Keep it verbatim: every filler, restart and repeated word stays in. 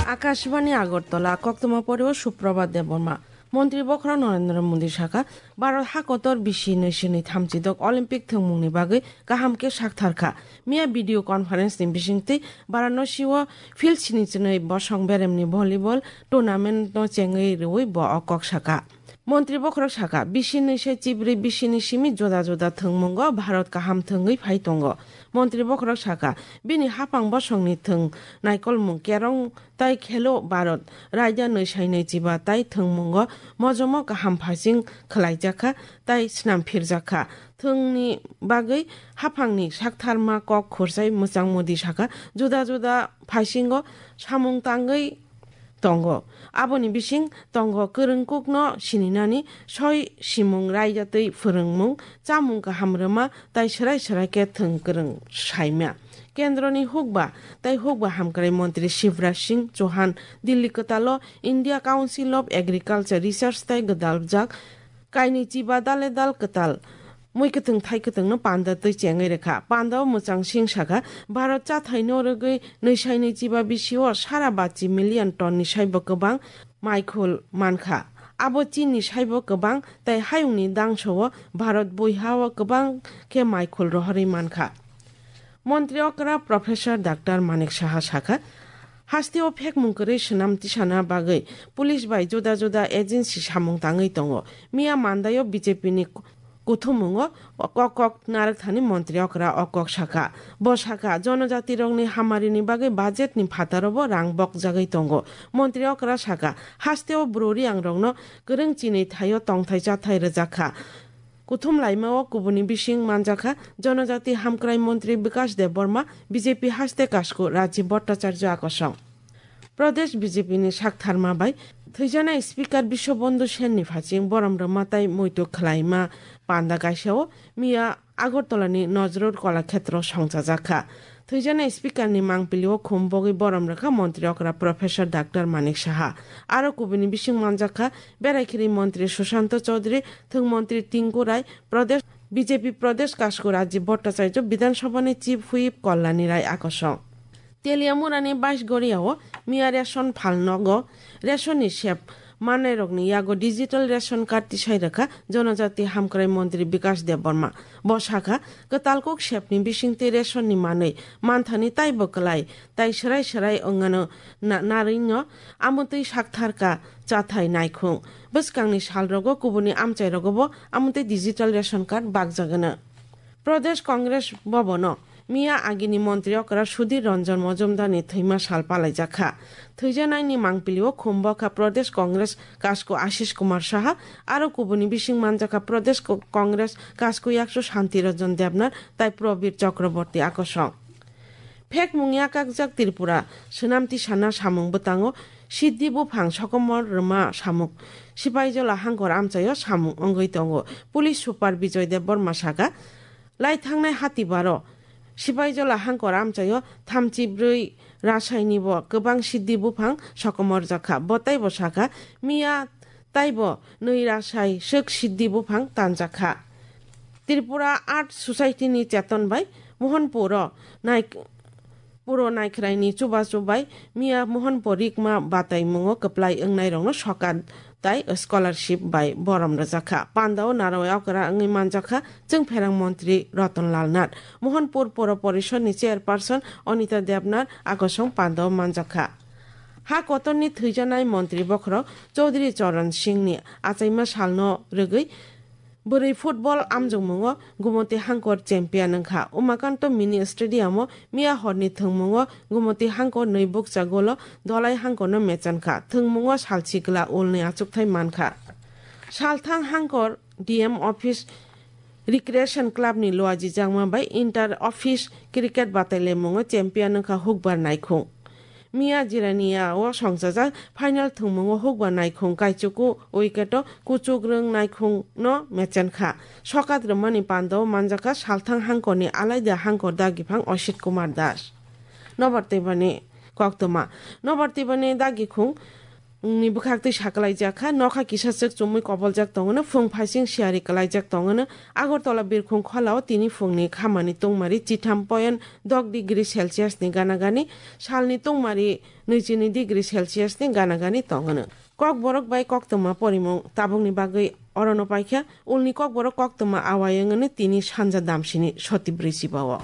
Akashbani Agartala, koktwma pori o Suprabhat Debbarma. Montri bokhorok Narendra Modi sakha, Bharat hakotor bisi nwi sini thamchi dok Olympic thwngmungni bagwi kaham khe sakthar kha. Miya video conference ni bisingtwi Varanasi o field sini chinwi bosong beremni volleyball tournament no chengwi rwui bo o kok sakha. Montri bokhorok sakha, bisi nwi se chibrwi bisini simi juda juda thwngmungo Bharat kaham thwngwi phai tongo. Montri bokhorok sakha, bini haphang bosongni thwng naikolmung kerong tai khelo Bharat raida nwi sai nwi chiba tai thwngmungo mojomo kaham phasing khwlaijakha tai snam phirjakha. Thwngni bagwi haphangni saktharma kok khursai mwchang Modi sakha, juda juda phasingo samung tangwi tongo. Aboni bising tongo kwrwngkukno sininani, soi simung raida twi phwrwngmung, chamung kaham rwma tai swrai swrai khe thwng kwrwng saimya. Kendroni hukba tai hukba hamkrai montri Shivraj Singh Chauhan Delhi kwtalo India Council of Agriculture Research tai gwdaljak kainwi chiba dale dal kwtal mui kwthwng thai kwthwngno panda twi chengwi rwkha. Pandao mwchang Singh sakha, Bharat chathaino rwgwi nwi sai nwi chiba bisio sara bachi million tonni saibo kwbang maikhul mankha. Abo Chinni saibo kwbang tai hayungni dangso-o Bharat buihao kwbang khe maikhul rohorwi mankha. Montri okra Professor Doctor Manik Saha sakha, hasteo phekmung kwrwi swnam tisana bagwi police bai juda juda agency samung tangwi tongo. Miya mandaio B J P ni kuthumungo kok kok narwkthani montri okra o kok sakha. Bo sakha, jonojatirokni hamarini bagwi budgetni phataro bo rang bokjagwi tongo. Montri okra sakha, hasteo bwrwi ang rokno kwrwng chinwi thaio tongthai chathai rwjakha. Kuthum laimao kubuni bising manjakha Jonojati Hamkrai Montri Bikash Debbarma, B J P haste kasku Rajiv Bhattacharya akosong. Pradesh B J P ni saktharma bai thwijaknai Speaker Biswabandhu Sen ni phaching borom rwma tai muitu khwlaima panda kaisao miya Agartala ni Nazrul Kalakhetro songchajakha. Thwijaknai Speaker ni mangpili o khum bogwi borom rwkha Montri okra Professor Doctor Manik Saha. Aro kubuni bising manjakha Beraikiri Montri Sushanta Chaudhary, Thwng Montri Tinku Rai, Pradesh, B J P Pradesh Kasku Rajiv Bhattacharya, Bidhan Sabha ni Chief Whip Kalyani Rai akosong. Teliamura ni Baisgoria o miya ration phal nogo ration ni sep manai rokni yago digital ration card tisai rwkha Jonojati Hamkrai Montri Bikash Debbarma. Bo sakha, kwtal kuk sep ni bisingtwi ration ni manwi manthani taibo kwlai tai swrai swrai wngano na-, narwino amotwi saktharka chathai naikhung. Bwskangni salrogo kubuni amchairogobo amotwi digital ration card bakjagwno. Pradesh Congress Bhavan o miya agini montri okra Sudhir Ranjan Majumdar ni thwima sal palaijakha. Thwijanaini mangpili o khum bokha Pradesh Congress kasku Ashish Kumar Saha, aro kubuni bising manjakha Pradesh Co-, Congress kasku yaksu Shanti Ranjan Debnath tai Prabir Chakraborty akosong. Phekmung yakakjak Tripura, swnamti sana samung bwtango Siddhi buphang sokomor rwma samung. Sipaijola hangkor amchaio samung wngwi tongo. Police Super Bijoy Debbarma saka, lai thangnai hatibaro Sipaijola hangkor amchaio thamchi brwi rasaini bo kwbang Siddhi buphang sokomor jakha. Bo taibo saka, miya taibo nwi rasai swk Siddhi buphang tanjakha. Tripura Art Society ni cheton bai Mohanpur o nai-, Puro Naikhrai ni chubachu bai miya Mohanpur rikma bataimungo kwplai wngnairokno sokat tai scholarship bai borom rwjakha. Pandao narwai okra wngwi manjakha Chwngpherang Montri Ratan Lal Nath. Mohanpur Puro Porishod ni Chairperson Anita Debnath akosong pandao manjakha. Ha kotorni thwijanai montri bokhorok Chaudhary Charan Singh ni achaima salno rwgwi bwrwi football amjokmungo Gumoti Hangkor champion wngkha. Umakanto Mini Stadium o miya horni thwngmungo Gumoti Hangkor nwi bukcha golo Dolai Hangkorno mechankha. Thwngmungo salchi gwla ulni achukthai mankha. Salthang Hangkor D M office Recreation Club ni luajijakma bai Inter Office Cricket Batailemungo champion wngkha Hukbar Naikhung. Miya Jirania o songchajak final thwngmungo Hukbar Naikhung kaichuku wicket o Kuchukrwng Naikhung no mechankha. Sokat rwmani pandao manjakha Salthang Hangkorni alaida Hangkor dagiphang Osit Kumar Das. Nobar Tibani koktwma. Nobar Tibani dagikhung Wngni bwkhaktwi sakalaijak kha, nokha kisa chwk chumui koboljak tongwno, phung phaising siyari kwlaijak tongwno. Agartala birkhung kholao tini phungni khamani tungmari chitham point dok degree Celsius ni gana gani, salni tungmari nwichini degree Celsius ni gana gani tongwno. Kokborok bai koktwma porimung tabukni bagwi orono paikha, ulni kokborok koktwma awai wngwno tini sanja damsini sotibri chibao.